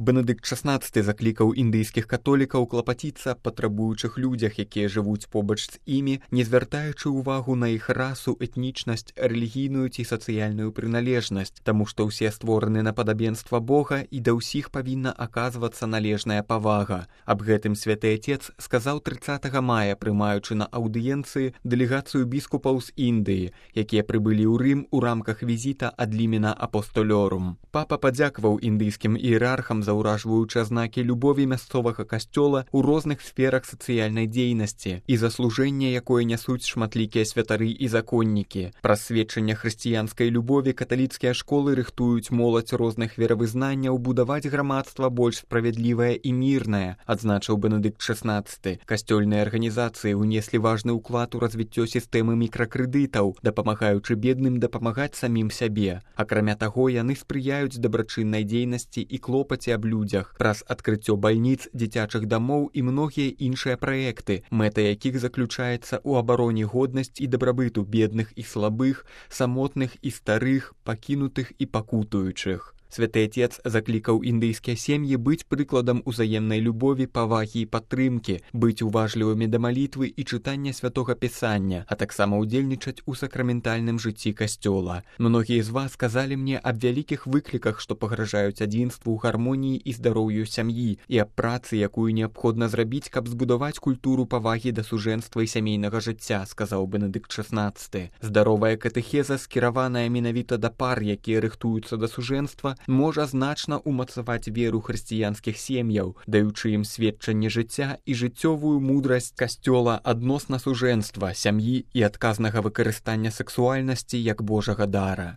Бенедыкт XVI заклікаў індыйскіх католікаў клапаціцца аб патрабуючых людзях, якія жывуць побач з імі, не звяртаючы ўвагу на іх расу, этнічнасць, рэлігійную ці сацыяльную прыналежнасць, таму што ўсе створаны на падабенства Бога і да ўсіх павінна аказвацца належная павага. Аб гэтым святы Отец сказаў 30 мая, прымаючы на аўдыенцыі дэлегацыю біскупаў з Індыі, якія прыбылі ў Рым у рамках візіта ад лімена апостолёрум. Папа падзякаваў індыйскім іерархам за ўражваючыя знакі любові мясцовага касцёла ў розных сферах сацыяльнай дзейнасці і заслужэння, якое нясуць шматлікія святары і законнікі. Праз сведчанне хрысціянскай любові каталіцкія школы рыхтуюць моладзь розных веравызнанняў будаваць грамадства больш справядлівае і мірнае, адзначыў Бенедыкт XVI. Касцёльныя арганізацыі ўнеслі важны ўклад у развіццё сістэмы мікракрэдытаў, дапамагаючы бедным дапамагаць самім сябе. Акрамя таго, яны спрыяюць дабрачыннай дзейнасці і клопаце аб людзях праз адкрыццё бальніц, дзіцячых дамоў і многія іншыя праекты, мэта якіх заключаецца ў абароне годнасці і дабрабыту бедных і слабых, самотных і старых, пакінутых і пакутуючых. Святы Отец заклікаў індыйскія сем'і быць прыкладам узаемнай любові, павагі і падтрымкі, быць уважлівымі да малітвы і чытання святога пісання, а таксама ўдзельнічаць у сакраментальным жыцці касцёла. Многія з вас сказалі мне аб вялікіх выкліках, што пагражаюць адзінству, гармоніі і здароўю сям'і, і аб працы, якую неабходна зрабіць, каб збудаваць культуру павагі да сужэнства і сямейнага жыцця, сказаў Бенедыкт XVI. Здаровая катэхеза, скіраваная менавіта да пар, якія рыхтуюцца да сужэнства, можа значна ўмацаваць веру хрысціянскіх сем'яў, даючы ім сведчанне жыцця і жыццёвую мудрасць касцёла адносна сужэнства, сям'і і адказнага выкарыстання сексуальнасці як Божага дара.